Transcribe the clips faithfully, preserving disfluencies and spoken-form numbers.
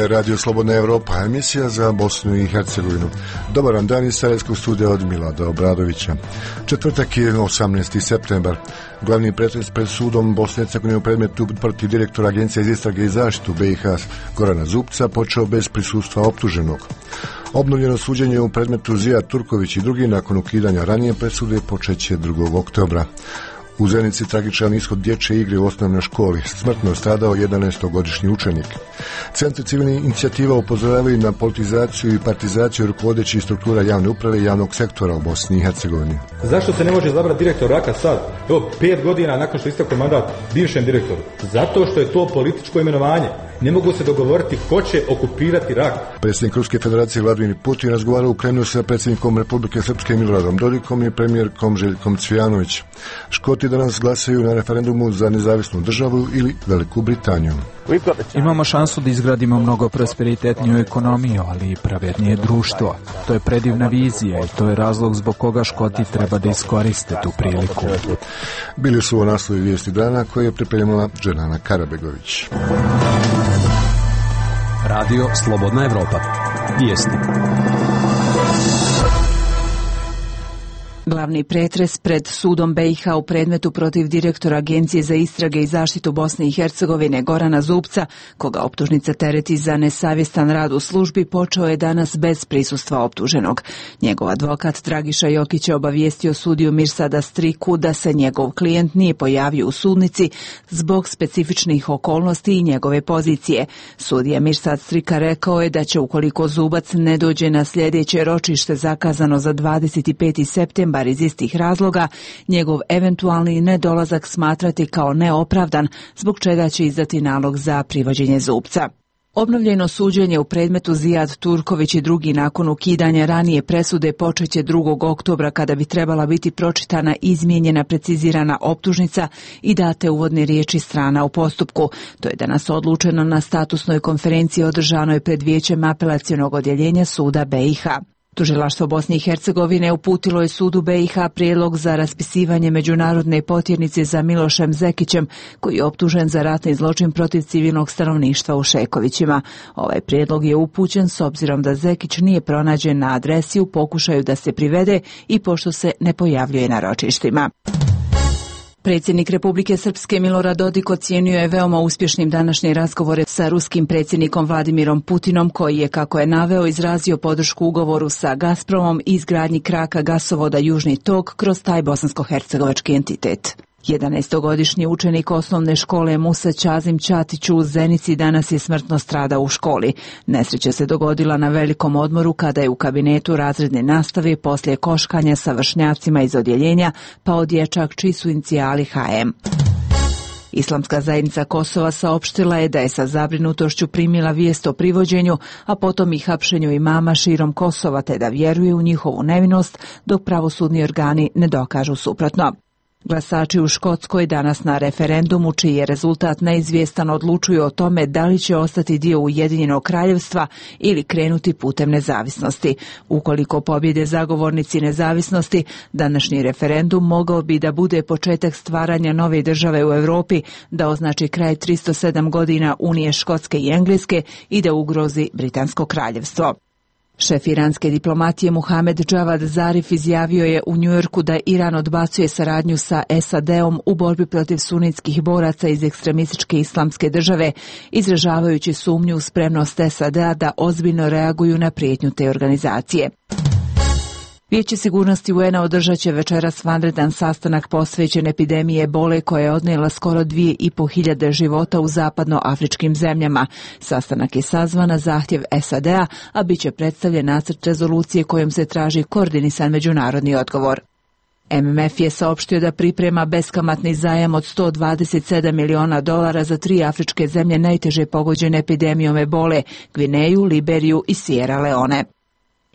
je Radio Slobodna Evropa, emisija za Bosnu i Hercegovinu. Dobar vam dan iz Sarajevskog studija od Milada Obradovića. Četvrtak je osamnaesti septembar. Glavni pretres pred sudom Bosne i Hercegovine u predmetu protiv direktora Agencije za istrage i zaštitu B i H Gorana Zupca počeo bez prisustva optuženog. Obnovljeno suđenje u predmetu Zijad Turković i drugi nakon ukidanja ranije presude počeće drugog oktobra. U Zenici tragičan ishod dječje igre u osnovnoj školi. Smrtno je stradao jedanaestogodišnji učenik. Centri civilnih inicijativa upozoravaju na politizaciju i partizaciju rukovodećih struktura javne uprave i javnog sektora u Bosni i Hercegovini. Zašto se ne može izabrati direktor Raka sad? Evo, pet godina nakon što istekao mandat bivšem direktoru. Zato što je to političko imenovanje. Ne mogu se dogovoriti ko će okupirati Rak. Predsjednik Ruske federacije Vladimir Putin razgovarao u Kremlju sa predsjednikom Republike Srpske Miloradom Dodikom i premijerkom Željkom Cvijanović. Škoti danas glasaju na referendumu za nezavisnu državu ili Veliku Britaniju. Imamo šansu da izgradimo mnogo prosperitetniju ekonomiju, ali i pravednije društvo. To je predivna vizija i to je razlog zbog koga Škoti treba da iskoriste tu priliku. Bili su u naslovi vijesti dana koje je pripremila Dženana Karabegović. Radio Slobodna Evropa. Vijesti. Glavni pretres pred sudom B i H u predmetu protiv direktora Agencije za istrage i zaštitu Bosne i Hercegovine Gorana Zupca, koga optužnica tereti za nesavjestan rad u službi, počeo je danas bez prisustva optuženog. Njegov advokat Dragiša Jokić je obavijestio sudiju Mirsada Striku da se njegov klijent nije pojavio u sudnici zbog specifičnih okolnosti i njegove pozicije. Sudija Mirsad Strika rekao je da će, ukoliko Zubac ne dođe na sljedeće ročište zakazano za dvadeset peti septembar iz istih razloga, njegov eventualni nedolazak smatrati kao neopravdan, zbog čega će izdati nalog za privođenje Zupca. Obnovljeno suđenje u predmetu Zijad Turković i drugi nakon ukidanja ranije presude počeće drugog oktobra, kada bi trebala biti pročitana izmijenjena precizirana optužnica i date uvodne riječi strana u postupku. To je danas odlučeno na statusnoj konferenciji održanoj pred Vijećem apelacionog odjeljenja suda B i H. Tužilaštvo Bosne i Hercegovine uputilo je sudu B i H prijedlog za raspisivanje međunarodne potjernice za Milošem Zekićem, koji je optužen za ratni zločin protiv civilnog stanovništva u Šekovićima. Ovaj prijedlog je upućen s obzirom da Zekić nije pronađen na adresi u pokušaju da se privede i pošto se ne pojavljuje na ročištima. Predsjednik Republike Srpske Milorad Dodik ocijenio je veoma uspješnim današnje razgovore sa ruskim predsjednikom Vladimirom Putinom, koji je, kako je naveo, izrazio podršku ugovoru sa Gazpromom i izgradnji kraka gasovoda Južni tok kroz taj bosansko-hercegovački entitet. jedanaestogodišnji učenik osnovne škole Musa Ćazim Ćatić u Zenici danas je smrtno stradao u školi. Nesreća se dogodila na velikom odmoru kada je u kabinetu razredne nastave poslije koškanja sa vršnjacima iz odjeljenja pao dječak čiji su inicijali H M. Islamska zajednica Kosova saopštila je da je sa zabrinutošću primila vijest o privođenju, a potom i hapšenju imama širom Kosova, te da vjeruje u njihovu nevinost dok pravosudni organi ne dokažu suprotno. Glasači u Škotskoj danas na referendumu, čiji je rezultat neizvjestan, odlučuju o tome da li će ostati dio Ujedinjenog kraljevstva ili krenuti putem nezavisnosti. Ukoliko pobjede zagovornici nezavisnosti, današnji referendum mogao bi da bude početak stvaranja nove države u Europi, da označi kraj tristo sedam godina unije Škotske i Engleske i da ugrozi Britansko kraljevstvo. Šef iranske diplomatije Muhamed Javad Zarif izjavio je u Njujorku da Iran odbacuje saradnju sa S A D-om u borbi protiv sunitskih boraca iz ekstremističke islamske države, izražavajući sumnju u spremnost S A D-a da ozbiljno reaguju na prijetnju te organizacije. Vijeće sigurnosti U N-a održat će večeras vanredan sastanak posvećen epidemiji ebole koja je odnijela skoro dvije i po hiljade života u zapadnoafričkim zemljama. Sastanak je sazvan na zahtjev S A D-a, a bit će predstavljen nacrt rezolucije kojom se traži koordinisan međunarodni odgovor. M M F je saopštio da priprema beskamatni zajam od sto dvadeset sedam miliona dolara za tri afričke zemlje najteže pogođene epidemijom ebole, Gvineju, Liberiju i Sierra Leone.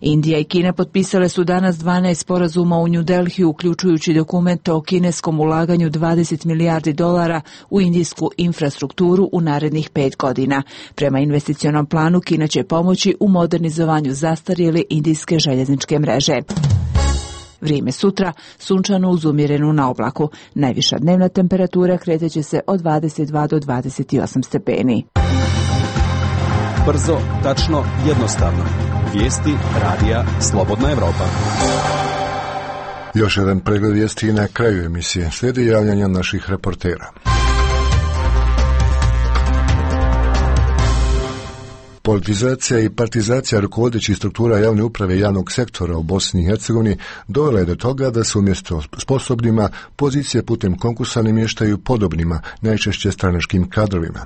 Indija i Kina potpisale su danas dvanaest sporazuma u New Delhiju, uključujući dokumente o kineskom ulaganju dvadeset milijardi dolara u indijsku infrastrukturu u narednih pet godina. Prema investicionom planu, Kina će pomoći u modernizovanju zastarjele indijske željezničke mreže. Vrijeme sutra, sunčano uz umjerenu na oblaku. Najviša dnevna temperatura kretat će se od dvadeset dva do dvadeset osam stepeni. Brzo, tačno, jednostavno. Vijesti radija Slobodna Evropa. Još jedan pregled vijesti na kraju emisije. Slijedi javljanja naših reportera. Politizacija i partizacija rukovodećih struktura javne uprave i javnog sektora u Bosni i Hercegovini dovela je do toga da se umjesto sposobnima pozicije putem konkursa namještaju podobnima, najčešće stranačkim kadrovima.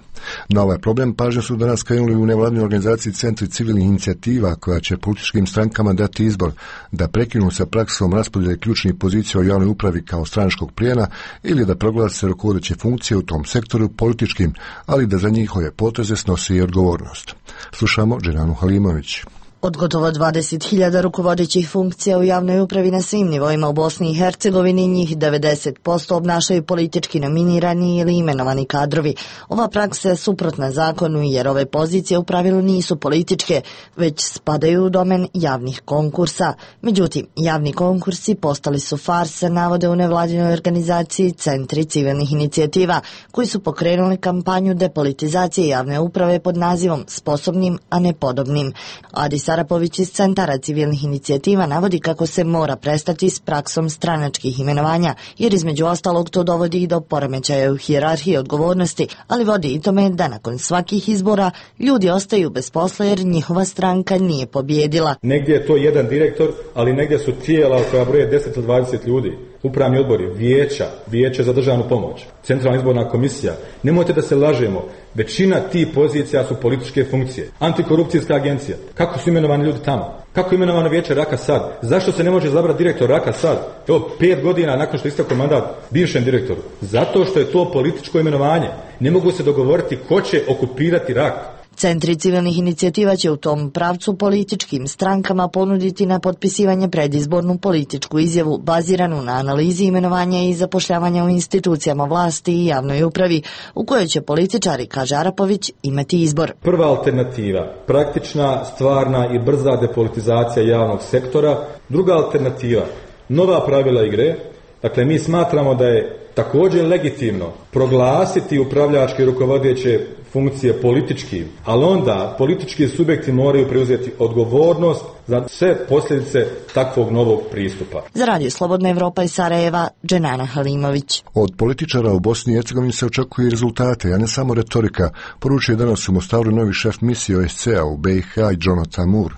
Na ovaj problem pažnju su danas krenuli u nevladinoj organizaciji Centri civilnih inicijativa koja će političkim strankama dati izbor da prekinu sa praksom raspodjele ključnih pozicija u javnoj upravi kao stranačkog plijena ili da proglase rukovodeće funkcije u tom sektoru političkim, ali da za njihove poteze snosi i odgovornost. Slušamo Dženanu Halimović. Od gotovo dvadeset hiljada rukovodećih funkcija u javnoj upravi na svim nivoima u Bosni i Hercegovini, njih devedeset posto obnašaju politički nominirani ili imenovani kadrovi. Ova praksa je suprotna zakonu jer ove pozicije u pravilu nisu političke, već spadaju u domen javnih konkursa. Međutim, javni konkursi postali su farsa, navode u nevladinoj organizaciji Centri civilnih inicijativa, koji su pokrenuli kampanju depolitizacije javne uprave pod nazivom Sposobnim, a ne podobnim. Adis Arapović iz Centara civilnih inicijativa navodi kako se mora prestati s praksom stranačkih imenovanja, jer između ostalog to dovodi i do poremećaja u hijerarhiji odgovornosti, ali vodi i tome da nakon svakih izbora ljudi ostaju bez posla jer njihova stranka nije pobjedila. Negdje je to jedan direktor, ali negdje su tijela koja broje deset ili dvadeset ljudi. Upravni odbori, vijeća, vijeće za državnu pomoć, centralna izborna komisija. Nemojte da se lažemo, većina tih pozicija su političke funkcije. Antikorupcijska agencija. Kako su imenovani ljudi tamo? Kako je imenovano vijeće Raka Sad? Zašto se ne može izabrati direktor Raka Sad? Evo, pet godina nakon što je istekao mandat bivšem direktoru. Zato što je to političko imenovanje. Ne mogu se dogovoriti ko će okupirati Rak. Centri civilnih inicijativa će u tom pravcu političkim strankama ponuditi na potpisivanje predizbornu političku izjavu baziranu na analizi imenovanja i zapošljavanja u institucijama vlasti i javnoj upravi, u kojoj će političari, kaže Arapović, imati izbor. Prva alternativa, praktična, stvarna i brza depolitizacija javnog sektora. Druga alternativa, nova pravila igre. Dakle, mi smatramo da je također legitimno proglasiti upravljačke i rukovodeće funkcije politički, ali onda politički subjekti moraju preuzeti odgovornost za sve posljedice takvog novog pristupa. Za radio Slobodna Evropa iz Sarajeva, Dženana Halimović. Od političara u Bosni i Hercegovini se očekuju i rezultate, a ne samo retorika, poručuje danas u Mostaru novi šef misije O S C A u B i H i Jonathan Moore.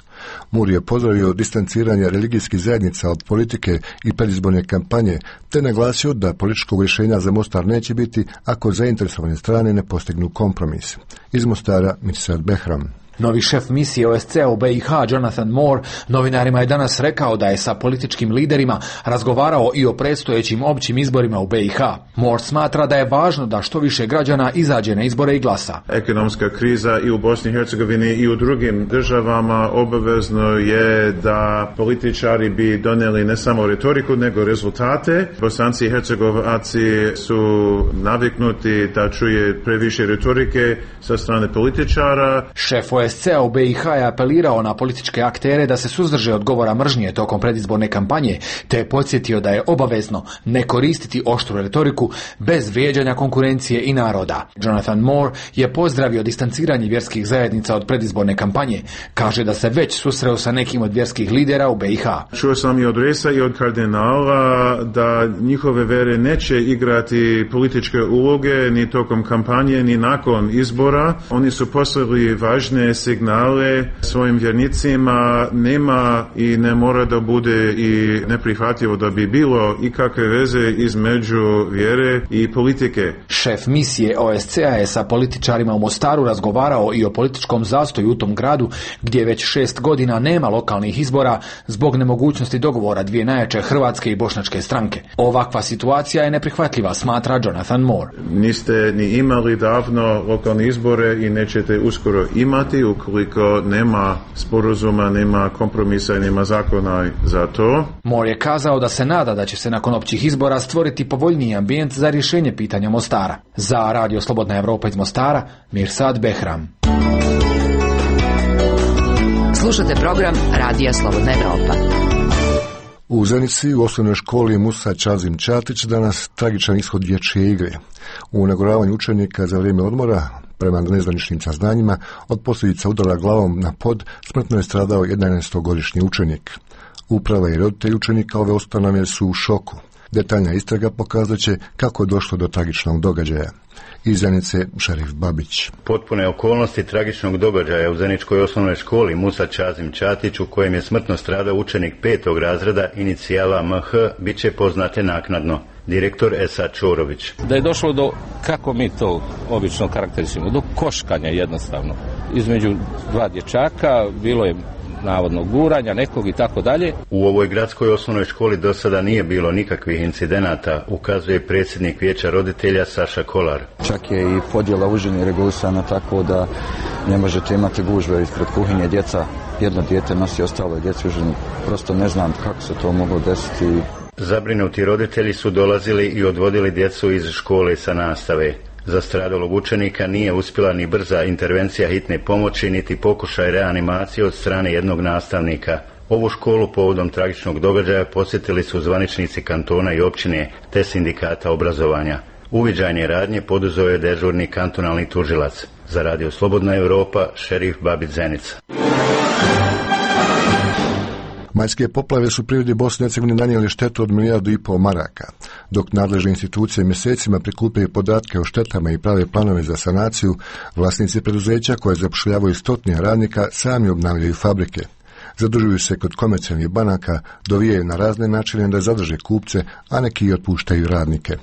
Moore je pozdravio distanciranje religijskih zajednica od politike i predizborne kampanje, te naglasio da političkog rješenja za Mostar neće biti ako zainteresovane strane ne postignu kompromis. Iz Mostara, Mirsad Behram. Novi šef misije O S C A u B i H, Jonathan Moore, novinarima je danas rekao da je sa političkim liderima razgovarao i o predstojećim općim izborima u B i H. Moore smatra da je važno da što više građana izađe na izbore i glasa. Ekonomska kriza i u Bosni i Hercegovini i u drugim državama obavezno je da političari bi donijeli ne samo retoriku nego rezultate. Bosanci i Hercegovaci su naviknuti da čuje previše retorike sa strane političara. Šef O S C A u B i H je apelirao na političke aktere da se suzdrže od govora mržnje tokom predizborne kampanje, te je podsjetio da je obavezno ne koristiti oštru retoriku bez vrijeđanja konkurencije i naroda. Jonathan Moore je pozdravio distanciranje vjerskih zajednica od predizborne kampanje. Kaže da se već susreo sa nekim od vjerskih lidera u B i H. Čuo sam i od Resa i od kardinala da njihove vere neće igrati političke uloge ni tokom kampanje ni nakon izbora. Oni su poslali važne signale svojim vjernicima. Nema i ne mora da bude i neprihvatljivo da bi bilo ikakve veze između vjere i politike. Šef misije O S C A je sa političarima u Mostaru razgovarao i o političkom zastoju u tom gradu gdje već šest godina nema lokalnih izbora zbog nemogućnosti dogovora dvije najjače hrvatske i bošnjačke stranke. Ovakva situacija je neprihvatljiva, smatra Jonathan Moore. Niste ni imali davno lokalne izbore i nećete uskoro imati ukoliko nema sporazuma, nema kompromisa i nema zakona za to. Moore je kazao da se nada da će se nakon općih izbora stvoriti povoljniji ambijent za rješenje pitanja Mostara. Za radio Slobodna Evropa iz Mostara, Mirsad Behram. Slušate program Radija Slobodna Evropa. U Zenici u osnovnoj školi Musa Čazim Čatić danas tragičan ishod dječje igre. U nagoravanju učenika za vrijeme odmora Prema nezvaničnim saznanjima, od posljedica udara glavom na pod smrtno je stradao jedanaestogodišnji učenik. Uprava i roditelji učenika ove ustanove su u šoku. Detaljna istraga pokazat će kako je došlo do tragičnog događaja. Iz Zenice, Šerif Babić. Potpune okolnosti tragičnog događaja u Zeničkoj osnovnoj školi Musa Čazim Čatić, u kojem je smrtno stradao učenik petog razreda inicijala M H, bit će poznate naknadno. Direktor Esad Čorović. Da je došlo do, kako mi to obično karakterisimo, do koškanja jednostavno. Između dva dječaka bilo je navodno guranja nekog i tako dalje. U ovoj gradskoj osnovnoj školi do sada nije bilo nikakvih incidenata, ukazuje predsjednik vijeća roditelja Saša Kolar. Čak je i podjela užine regulisana tako da ne možete imati gužve ispred kuhinje, djeca, jedno dijete nosi ostalo djeci užinu. Prosto ne znam kako se to moglo desiti. Zabrinuti roditelji su dolazili i odvodili djecu iz škole sa nastave. Za stradalog učenika nije uspjela ni brza intervencija hitne pomoći, niti pokušaj reanimacije od strane jednog nastavnika. Ovu školu povodom tragičnog događaja posjetili su zvaničnici kantona i općine te sindikata obrazovanja. Uviđajne radnje poduzeo je dežurni kantonalni tužilac. Za Radio Slobodna Europa, Šerif Babić, Zenica. Majske poplave su privredi Bosne i Hercegovine nanijeli štetu od milijardu i pol maraka. Dok nadležne institucije mjesecima prikupljaju podatke o štetama i prave planove za sanaciju, vlasnici preduzeća koje zapošljavaju stotine radnika sami obnavljaju fabrike. Zadužuju se kod komercijalnih banaka, dovijaju na razne načine da zadrže kupce, a neki i otpuštaju radnike.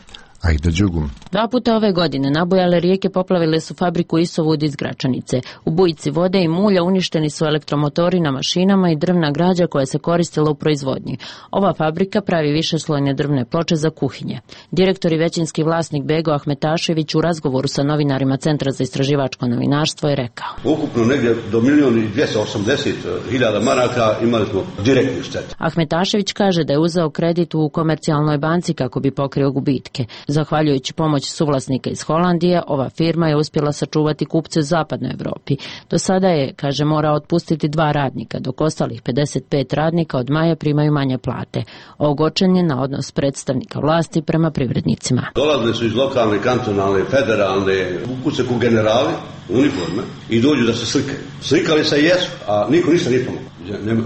Aida Đugum. Dva puta ove godine nabujale rijeke poplavile su fabriku Isovud iz Gračanice. U bujici vode i mulja uništeni su elektromotori na mašinama i drvna građa koja se koristila u proizvodnji. Ova fabrika pravi višeslojne drvne ploče za kuhinje. Direktor i većinski vlasnik Bego Ahmetašević u razgovoru sa novinarima Centra za istraživačko novinarstvo je rekao: Ukupno negdje do milijun i dvjesto osamdeset hiljada maraka imali smo direktni štet. Ahmetašević kaže da je uzeo kredit u komercijalnoj banci kako bi pokrio gubitke. Zahvaljujući pomoći suvlasnika iz Holandije, ova firma je uspjela sačuvati kupce u zapadnoj Europi. Do sada je, kaže, morao otpustiti dva radnika, dok ostalih pedeset pet radnika od maja primaju manje plate. Ogorčen je na odnos predstavnika vlasti prema privrednicima. Dolazili su iz lokalne, kantonalne, federalne, ukuce ku generali, uniforme, i dođu da se slikaju. Slikali se jesu, a niko ništa nije pomogao.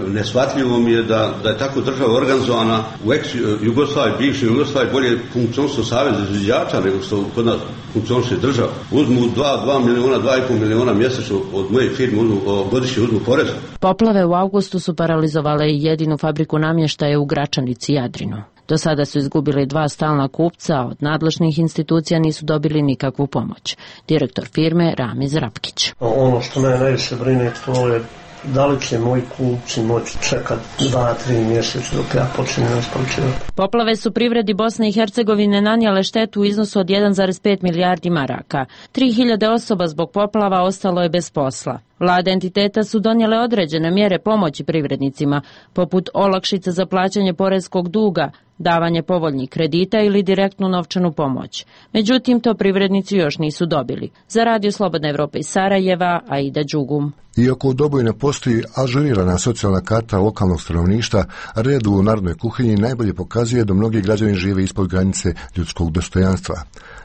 Neshvatljivo mi je da, da je tako država organizovana u ex-Jugoslaviji, bivšoj Jugoslaviji, bolje funkcionstvo saveza izviđača nego što kod nas funkcionuje država. Uzmu dva, dva miliona, dva i pol miliona mjesečno od moje firme, uzmu, godišnje uzmu poreza. Poplave u avgustu su paralizovale i jedinu fabriku namještaja u Gračanici i Jadrinu. Do sada su izgubili dva stalna kupca, a od nadležnih institucija nisu dobili nikakvu pomoć. Direktor firme Ramiz Rapkić. Ono što me najviše brine, to je da li će moji kupci moći čekati dva, tri mjeseca dok ja počinem isporučivati. Poplave su privredi Bosne i Hercegovine nanijele štetu u iznosu od jedan zarez pet milijardi maraka. Tri hiljade osoba zbog poplava ostalo je bez posla. Vlade entiteta su donijele određene mjere pomoći privrednicima, poput olakšica za plaćanje poreskog duga, davanje povoljnih kredita ili direktnu novčanu pomoć. Međutim, to privrednici još nisu dobili. Za Radio Slobodna Evropa iz Sarajeva, Aida Đugum. Iako u Doboju ne postoji ažurirana socijalna karta lokalnog stanovništva, red u narodnoj kuhinji najbolje pokazuje da mnogi građani žive ispod granice ljudskog dostojanstva.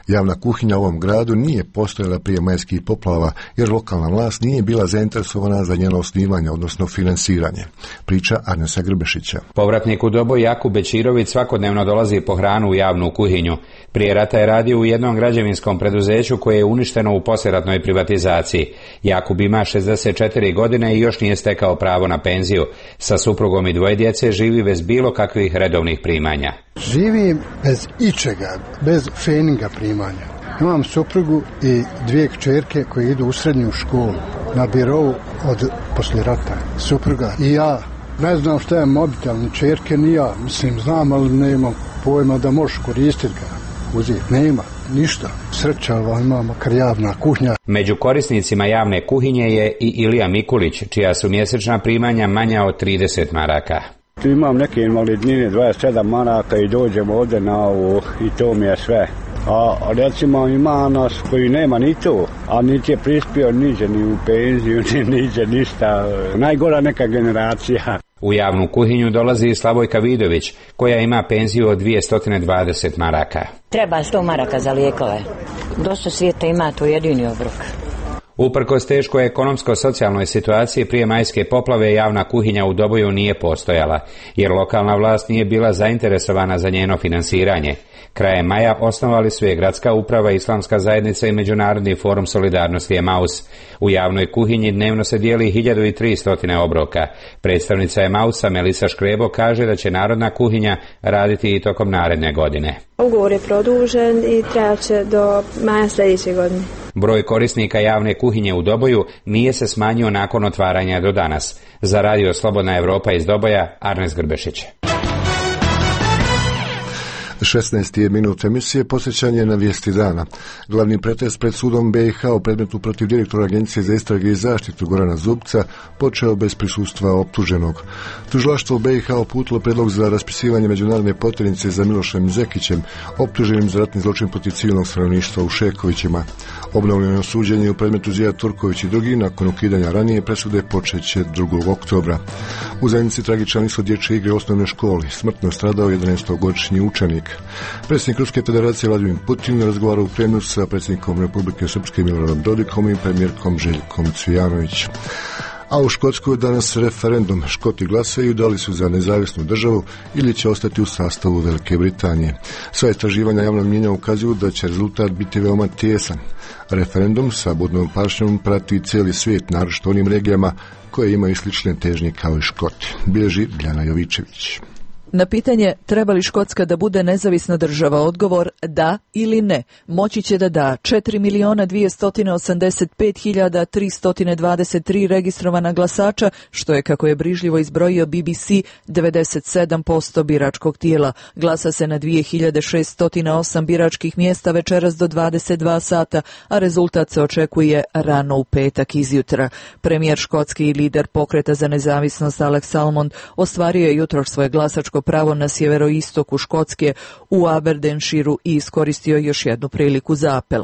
Javna kuhinja u ovom gradu nije postojala prije majskih poplava, jer lokalna vlast nije bila zainteresovana za njeno osnivanje, odnosno finansiranje. Priča Arnesa Grbešića. Povratnik u Doboj Jakub Bečirović svakodnevno dolazi po hranu u javnu kuhinju. Prije rata je radio u jednom građevinskom preduzeću koje je uništeno u poslijeratnoj privatizaciji. Jakub ima šezdeset četiri godine i još nije stekao pravo na penziju. Sa suprugom i dvoje djece živi bez bilo kakvih redovnih primanja. Živim bez ičega, bez feninga primanja. Imam suprugu i dvije kćerke koje idu u srednju školu na birovu od poslije rata. Supruga i ja. Ne znam šta je mobitel, ni kćerke, ni ja. Mislim, znam, ali nemam pojma da možeš koristiti ga. Uzeti. Nema, ništa. Sreća, ali ima makar javna kuhinja. Među korisnicima javne kuhinje je i Ilija Mikulić, čija su mjesečna primanja manja od trideset maraka. Imam neke invalidnine, dvadeset sedam maraka i dođem ovdje na ovo i to mi je sve. A recimo ima nas koji nema ni to, a niti je prispio niđe ni u penziju, ni niđe ništa. Najgora neka generacija. U javnu kuhinju dolazi i Slavojka Vidović, koja ima penziju od dvjesto dvadeset maraka. Treba sto maraka za lijekove. Dosta svijeta ima, to jedini obrok. Uprkos teškoj ekonomsko-socijalnoj situaciji prije majske poplave javna kuhinja u Doboju nije postojala, jer lokalna vlast nije bila zainteresovana za njeno finansiranje. Krajem maja osnovali su je Gradska uprava, Islamska zajednica i Međunarodni forum solidarnosti Emaus. U javnoj kuhinji dnevno se dijeli hiljadu tristo obroka. Predstavnica Emausa Melisa Škrebo kaže da će narodna kuhinja raditi i tokom naredne godine. Ugovor je produžen i trajaće do maja sljedeće godine. Broj korisnika javne kuhinje u Doboju nije se smanjio nakon otvaranja do danas. Za radio Slobodna Evropa iz Doboja, Arnes Grbešić. šesnaesti je minut emisije, posjećanje na vijesti dana. Glavni pretres pred sudom B i H u predmetu protiv direktora Agencije za istrage i zaštitu Gorana Zubca počeo bez prisustva optuženog. Tužilaštvo B i H uputilo predlog za raspisivanje međunarodne potjernice za Milošem Zekićem, optuženim za ratni zločin protiv civilnog stanovništva u Šekovićima. Obnovljeno suđenje u predmetu Zija Turković i drugi nakon ukidanja ranije presude počeće drugog oktobra. U zajednici tragičan ishod dječje igre u osnovnoj školi. Smrtno stradao jedanaestogodišnji učenik. Predsjednik Ruske federacije Vladimir Putin razgovarao u Kremlju sa predsjednikom Republike Srpske Miloradom Dodikom i premijerkom Željkom Cvijanović. A u Škotskoj danas referendum. Škoti glasaju da li su za nezavisnu državu ili će ostati u sastavu Velike Britanije. Sva istraživanja javnog mnijenja ukazuju da će rezultat biti veoma tijesan. Referendum sa budnom pažnjom prati cijeli svijet, naročito onim regijama koje imaju slične težnje kao i Škoti. Bilježi Bljana Jovičević. Na pitanje treba li Škotska da bude nezavisna država, odgovor da ili ne moći će da da četiri miliona dvjesto osamdeset pet hiljada tristo dvadeset tri registrovana glasača, što je, kako je brižljivo izbrojio B B C, devedeset sedam posto biračkog tijela. Glasa se na dvije hiljade šesto osam biračkih mjesta večeras do dvadeset dva sata, a rezultat se očekuje rano u petak izjutra. Premijer Škotski i lider pokreta za nezavisnost Alex Salmond ostvario je jutro svoje glasačko pravo na sjeveroistoku Škotske u Aberdeenshireu i iskoristio još jednu priliku za apel.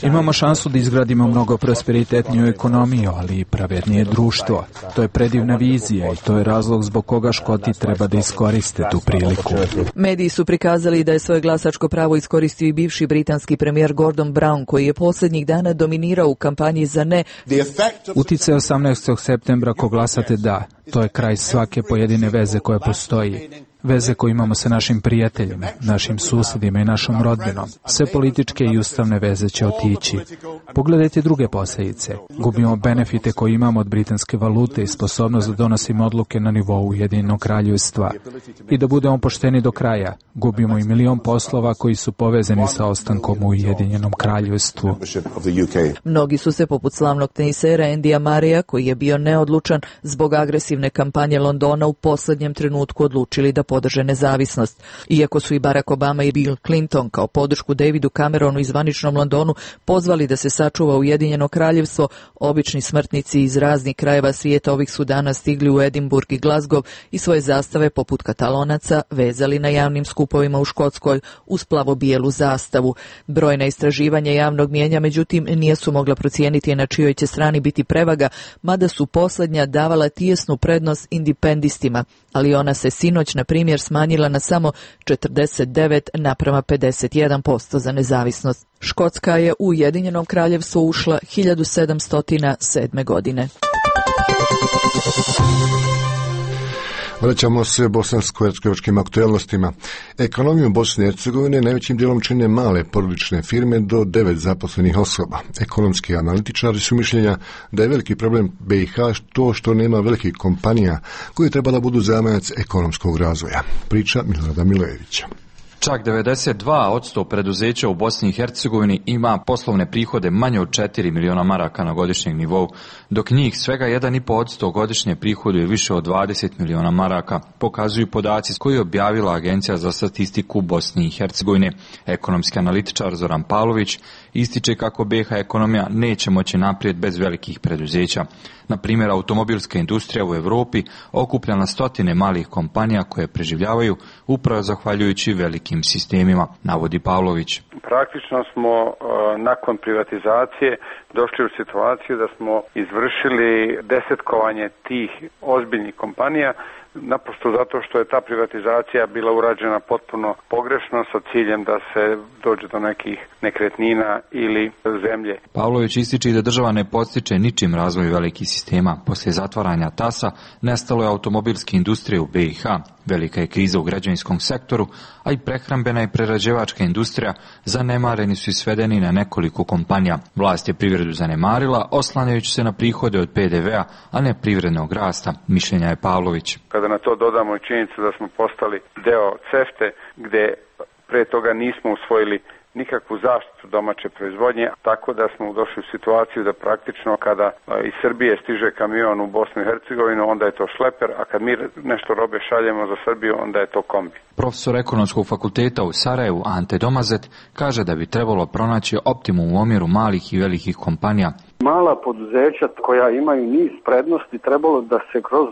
Imamo šansu da izgradimo mnogo prosperitetniju ekonomiju, ali i pravednije društvo. To je predivna vizija i to je razlog zbog koga Škoti treba da iskoriste tu priliku. Mediji su prikazali da je svoje glasačko pravo iskoristio i bivši britanski premijer Gordon Brown, koji je posljednjih dana dominirao u kampanji za ne. Uticaj osamnaestog septembra ako glasate da, to je kraj svake pojedine veze koja postoji. Veze koje imamo sa našim prijateljima, našim susjedima i našom rodbinom. Sve političke i ustavne veze će otići. Pogledajte druge posljedice. Gubimo benefite koje imamo od britanske valute i sposobnost da donosimo odluke na nivou Ujedinjenog kraljevstva. I da budemo pošteni do kraja, gubimo i milion poslova koji su povezani sa ostankom u Ujedinjenom kraljevstvu. Mnogi su se, poput slavnog tenisera Andyja Murraya, koji je bio neodlučan zbog agresivne kampanje Londona, u posljednjem trenutku odlučili da podrže nezavisnost. Iako su i Barack Obama i Bill Clinton kao podršku Davidu Cameronu i zvaničnom Londonu pozvali da se sačuva Ujedinjeno kraljevstvo, obični smrtnici iz raznih krajeva svijeta ovih su dana stigli u Edinburgh i Glasgow i svoje zastave, poput Katalonaca, vezali na javnim skupovima u Škotskoj uz plavo-bijelu zastavu. Brojna istraživanja javnog mijenja, međutim, nisu mogla procijeniti na čijoj će strani biti prevaga, mada su posljednja davala tijesnu prednost independistima, ali ona se sinoć, na primjer, smanjila na samo četrdeset devet naprama pedeset jedan posto za nezavisnost. Škotska je u Ujedinjeno kraljevstvo ušla hiljadu sedamsto sedme godine. Vraćamo se bosansko-hercegovačkim aktualnostima. Ekonomiju Bosne i Hercegovine najvećim dijelom čine male porodične firme do devet zaposlenih osoba. Ekonomski analitičari su mišljenja da je veliki problem B i H to što nema velikih kompanija koje treba da budu zamajac ekonomskog razvoja. Priča Milorada Milojevića. Čak devedeset dva posto preduzeća u Bosni i Hercegovini ima poslovne prihode manje od četiri miliona maraka na godišnjem nivou, dok njih svega jedan i po posto godišnje prihoduje više od dvadeset miliona maraka, pokazuju podaci koji je objavila Agencija za statistiku Bosne i Hercegovine. Ekonomski analitičar Zoran Pavlović ističe kako B i H ekonomija neće moći naprijed bez velikih preduzeća. Na primjer, automobilska industrija u Europi okuplja na stotine malih kompanija koje preživljavaju upravo zahvaljujući velikim sistemima, navodi Pavlović. Praktično smo uh, nakon privatizacije došli u situaciju da smo izvršili desetkovanje tih ozbiljnih kompanija naprosto zato što je ta privatizacija bila urađena potpuno pogrešno sa ciljem da se dođe do nekih nekretnina ili zemlje. Pavlović ističe da država ne podstiče ničim razvoj velikih sistema. Poslije zatvaranja tasa nestalo je automobilske industrije u B i H, velika je kriza u građevinskom sektoru, a i prehrambena i prerađivačka industrija zanemareni su i svedeni na nekoliko kompanija. Vlast je privredu zanemarila, oslanjajući se na prihode od P D V-a, a ne privrednog rasta, mišljenja je Pavlović. Kada na to dodamo i činjenicu da smo postali deo CEFTA, gde pre toga nismo usvojili nikakvu zaštitu domaće proizvodnje, tako da smo došli u situaciju da praktično kada iz Srbije stiže kamion u Bosnu i Hercegovinu, onda je to šleper, a kad mi nešto robe šaljemo za Srbiju, onda je to kombi. Profesor Ekonomskog fakulteta u Sarajevu, Ante Domazet, kaže da bi trebalo pronaći optimum u omjeru malih i velikih kompanija. Mala poduzeća koja imaju niz prednosti trebalo da se kroz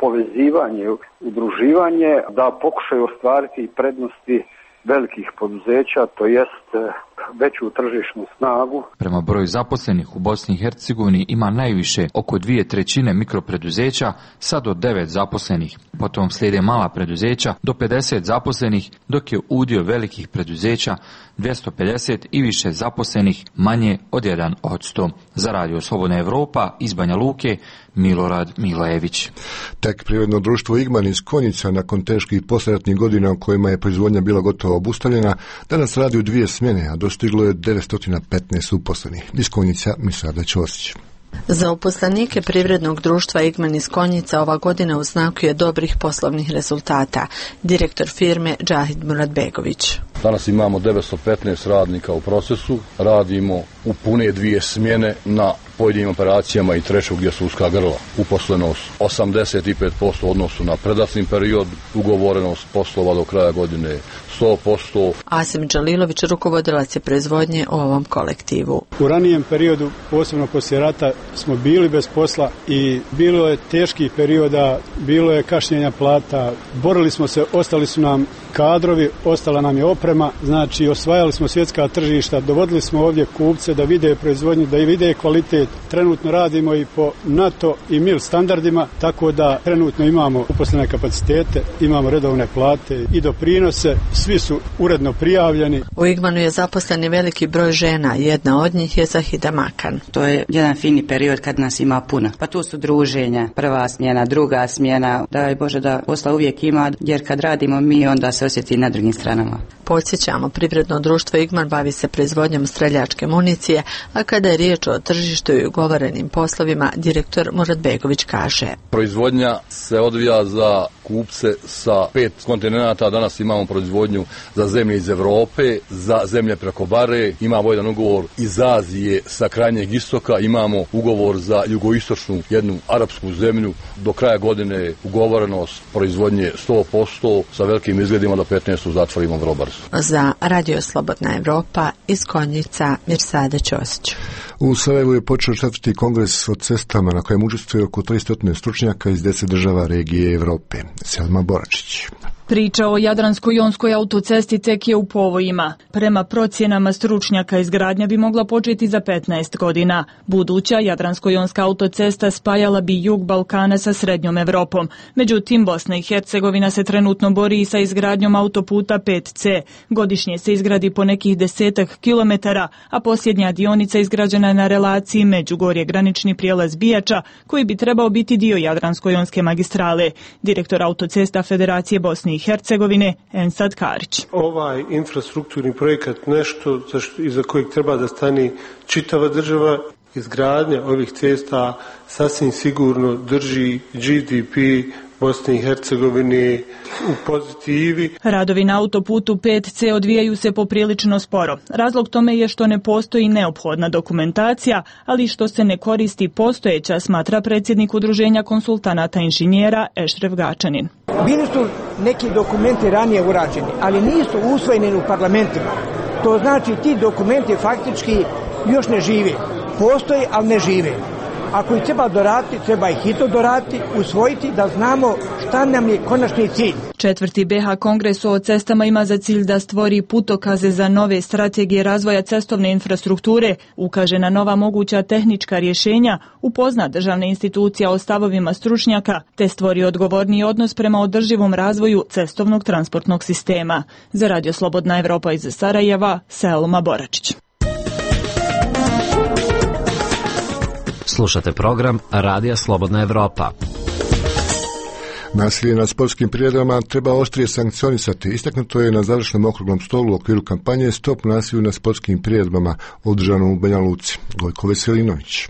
povezivanje, udruživanje, da pokušaju ostvariti prednosti velikih poduzeća, to jest veću tržišnu snagu. Prema broju zaposlenih u Bosni i Hercegovini ima najviše oko dvije trećine mikropreduzeća sa do devet zaposlenih. Potom slijede mala preduzeća do pedeset zaposlenih, dok je udio velikih preduzeća dvjesto pedeset i više zaposlenih manje od jedan posto. Za Radio Slobodna Evropa iz Banja Luke, Milorad Milajević. Tek privredno društvo Igman iz Konjica nakon teških poslijeratnih godina u kojima je proizvodnja bila gotovo obustavljena, danas radi u dvije smjene, a dostiglo je devetsto petnaest uposlenih. Iz Konjica Misada Ćosić. Za uposlenike privrednog društva Igman iz Konjica ova godina u znaku je dobrih poslovnih rezultata. Direktor firme Džahid Muradbegović. Danas imamo devetsto petnaest radnika u procesu, radimo u pune dvije smjene na pojedinim operacijama i treću gdje su uska grla. Uposlenost osamdeset pet posto u odnosu na predratni period, ugovorenost poslova do kraja godine sto posto. Asim Đalilović, rukovodilac je proizvodnje u ovom kolektivu. U ranijem periodu, posebno poslije rata, smo bili bez posla i bilo je teških perioda, bilo je kašnjenja plata, borili smo se, ostali su nam kadrovi, ostala nam je oprema, znači osvajali smo svjetska tržišta, dovodili smo ovdje kupce da vide proizvodnju, da i vide kvalitet. Trenutno radimo i po NATO i M I L standardima, tako da trenutno imamo uposlene kapacitete, imamo redovne plate i doprinose, svi su uredno prijavljeni. U Igmanu je zaposleni veliki broj žena, jedna od njih je Zahida Makan. To je jedan fini period kad nas ima puno. Pa tu su druženja, prva smjena, druga smjena, daj Bože da posla uvijek ima, jer kad radimo mi onda se osjeti na drugim stranama. Podsjećamo, privredno društvo Igman bavi se proizvodnjom streljačke municije, a kada je riječ o tržištu i ugovorenim poslovima, direktor Muradbegović kaže. Proizvodnja se odvija za kupce sa pet kontinenata, danas imamo proizvodnju za zemlje iz Europe, za zemlje preko Bare, imamo jedan ugovor iz Azije sa krajnjeg istoka, imamo ugovor za jugoistočnu jednu arapsku zemlju, do kraja godine ugovorenost proizvodnje sto posto sa velikim izgledima do petnaest zatvorimo vrlo brzo. Za Radio Slobodna Evropa iz Konjica Mirsada Ćosić. U Sarajevu je počeo četvrti kongres o cestama na kojem učestvuje oko tristo stručnjaka iz deset država regije Evrope. Selma Boračić. Priča o Jadransko-jonskoj autocesti tek je u povojima. Prema procjenama stručnjaka, izgradnja bi mogla početi za petnaest godina. Buduća Jadransko-jonska autocesta spajala bi jug Balkana sa srednjom Evropom. Međutim, Bosna i Hercegovina se trenutno bori i sa izgradnjom autoputa pet ce. Godišnje se izgradi po nekih desetak kilometara, a posljednja dionica izgrađena je na relaciji Međugorje granični prijelaz Bijača, koji bi trebao biti dio Jadransko-jonske magistrale. Direktor autocesta Federacije Bosne i Hercegovine Ensad Karić. Ovaj infrastrukturni projekat nešto iza kojeg treba da stani čitava država. Izgradnja ovih cesta sasvim sigurno drži G D P Bosne i Hercegovine u pozitivi. Radovi na autoputu pet ce odvijaju se poprilično sporo. Razlog tome je što ne postoji neophodna dokumentacija, ali što se ne koristi postojeća, smatra predsjednik Udruženja konsultanata inženjera Ešref Gačanin. Bili su neki dokumenti ranije urađeni, ali nisu usvojeni u parlamentima. To znači ti dokumenti faktički još ne žive. Postoje, ali ne žive. Ako ih treba doraditi, treba ih hitno doraditi, usvojiti da znamo šta nam je konačni cilj. Četvrti B H kongres o cestama ima za cilj da stvori putokaze za nove strategije razvoja cestovne infrastrukture, ukaže na nova moguća tehnička rješenja, upozna državne institucija o stavovima stručnjaka, te stvori odgovorniji odnos prema održivom razvoju cestovnog transportnog sistema. Za Radio Slobodna Evropa iz Sarajeva, Selma Boračić. Slušate program Radija Slobodna Evropa. Nasilje na sportskim priredbama treba oštrije sankcionisati. Istaknuto je na završnom okruglom stolu u okviru kampanje Stop nasilju na sportskim priredbama održanom u Banja Luci. Gojko Veselinović.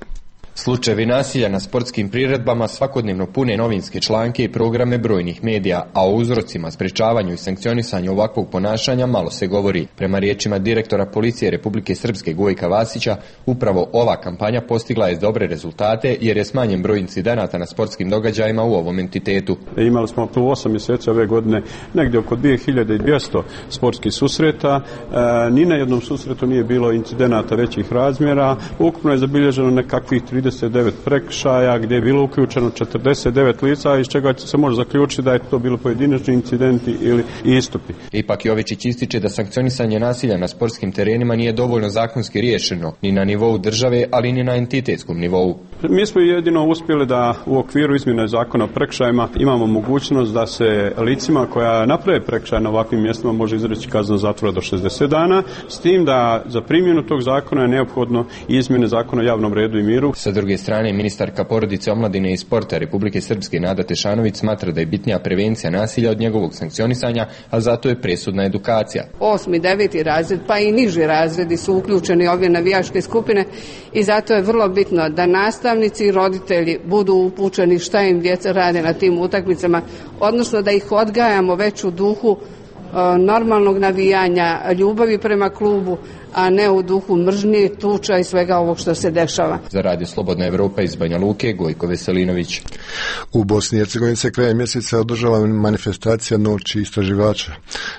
Slučajevi nasilja na sportskim priredbama svakodnevno pune novinske članke i programe brojnih medija, a o uzrocima, sprečavanju i sankcionisanju ovakvog ponašanja malo se govori. Prema riječima direktora policije Republike Srpske Gojka Vasića, upravo ova kampanja postigla je dobre rezultate jer je smanjen broj incidenata na sportskim događajima u ovom entitetu. Imali smo u osam mjeseci ove godine negdje oko dvije hiljade dvjesto sportskih susreta. E, ni na jednom susretu nije bilo incidenata većih razmjera. Ukupno je zabilježeno nekakvih trideset devet prekršaja gdje je bilo uključeno četrdeset devet lica, iz čega se može zaključiti da je to bilo pojedinačni incidenti ili istupi. Ipak Jovičić ističe da sankcionisanje nasilja na sportskim terenima nije dovoljno zakonski riješeno, ni na nivou države, ali ni na entitetskom nivou. Mi smo jedino uspjeli da u okviru izmjene zakona o prekršajima imamo mogućnost da se licima koja naprave prekršaj na ovakvim mjestima može izreći kazna zatvora do šezdeset dana, s tim da za primjenu tog zakona je neophodno izmjene zakona o javnom redu i miru. Sa druge strane, ministarka porodice, omladine i sporta Republike Srpske Nada Tešanović smatra da je bitnija prevencija nasilja od njegovog sankcionisanja, a zato je presudna edukacija. Osmi, deveti razred, pa i niži razredi su uključeni ove navijačke skupine i zato je vrlo bitno da nastavnici i roditelji budu upućeni šta im djeca rade na tim utakmicama, odnosno da ih odgajamo već u duhu normalnog navijanja, ljubavi prema klubu, a ne u duhu mržnje, tuča i svega ovog što se dešava. Za Radio Slobodna Evropa iz Banja Luke, Gojko Veselinović. U Bosni i Hercegovini se krajem mjeseca održava manifestacija Noći istraživača.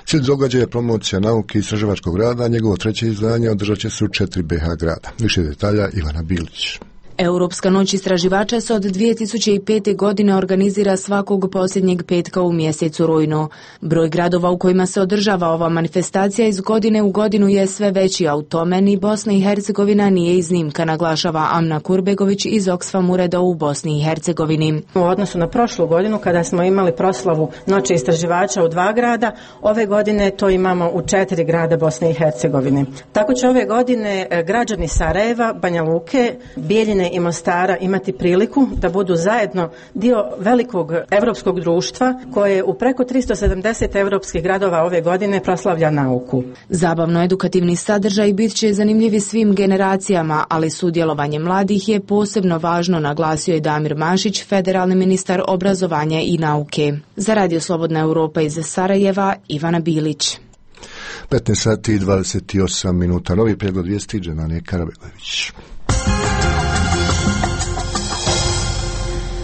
Cilj događaja je promocija nauke i istraživačkog rada, njegovo treće izdanje održat će se u četiri B H grada. Više detalja Ivana Bilić. Europska noć istraživača se od dvije tisuće pete. godine organizira svakog posljednjeg petka u mjesecu rujnu. Broj gradova u kojima se održava ova manifestacija iz godine u godinu je sve veći, a u tome ni Bosna i Hercegovina nije iznimka, naglašava Amna Kurbegović iz Oxfam ureda u Bosni i Hercegovini. U odnosu na prošlu godinu kada smo imali proslavu noći istraživača u dva grada, ove godine to imamo u četiri grada Bosne i Hercegovine. Tako će ove godine građani Sarajeva, Banja Luke, Bijeljine i Mostara imati priliku da budu zajedno dio velikog evropskog društva koje u preko tristo sedamdeset evropskih gradova ove godine proslavlja nauku. Zabavno-edukativni sadržaj bit će zanimljivi svim generacijama, ali sudjelovanje mladih je posebno važno, naglasio je Damir Mašić, federalni ministar obrazovanja i nauke. Za Radio Slobodna Evropa iz Sarajeva, Ivana Bilić. petnaest sati i dvadeset osam minuta. Novi pregled vijesti Dženane Karabegović.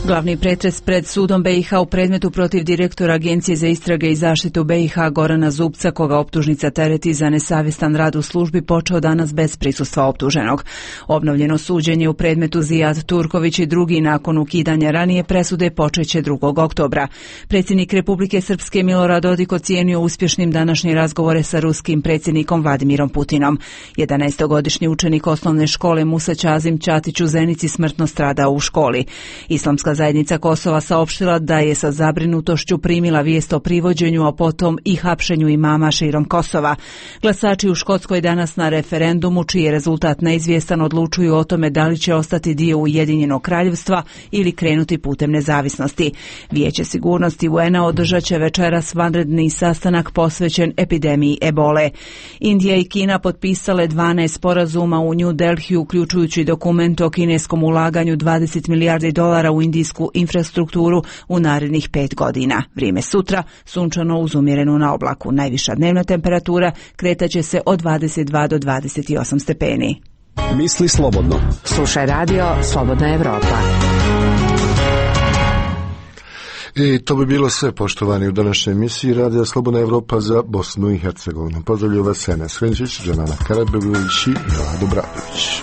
Glavni pretres pred sudom B i H u predmetu protiv direktora Agencije za istrage i zaštitu B i H Gorana Zubca, koga optužnica tereti za nesavjestan rad u službi, počeo danas bez prisustva optuženog. Obnovljeno suđenje u predmetu Zijad Turković i drugi nakon ukidanja ranije presude počeće drugog oktobra. Predsjednik Republike Srpske Milorad Dodik ocijenio uspješnim današnje razgovore sa ruskim predsjednikom Vladimirom Putinom. jedanaestogodišnji učenik osnovne škole Musa Ćazim Ćatić u Zenici smrtno stradao u školi. Islamska zajednica Kosova saopštila da je sa zabrinutošću primila vijest o privođenju, a potom i hapšenju imama širom Kosova. Glasači u Škotskoj danas na referendumu, čiji je rezultat neizvjestan, odlučuju o tome da li će ostati dio Ujedinjenog kraljevstva ili krenuti putem nezavisnosti. Vijeće sigurnosti U N-a održat će večeras vanredni sastanak posvećen epidemiji ebole. Indija i Kina potpisale dvanaest sporazuma u New Delhi, uključujući dokument o kineskom ulaganju dvadeset milijardi dolara u indijsku infrastrukturu u narednih pet godina. Vrijeme sutra, sunčano uz umjerenu na oblaku. Najviša dnevna temperatura kretaće se od dvadeset dva do dvadeset osam stepeni. Misli slobodno. Slušaj radio Slobodna Evropa. I to bi bilo sve, poštovani, u današnjoj emisiji Radija Slobodna Evropa za Bosnu i Hercegovinu. Pozdravlju vas Enes Hrenčić, Dženana Karabegović i Milado Bradović.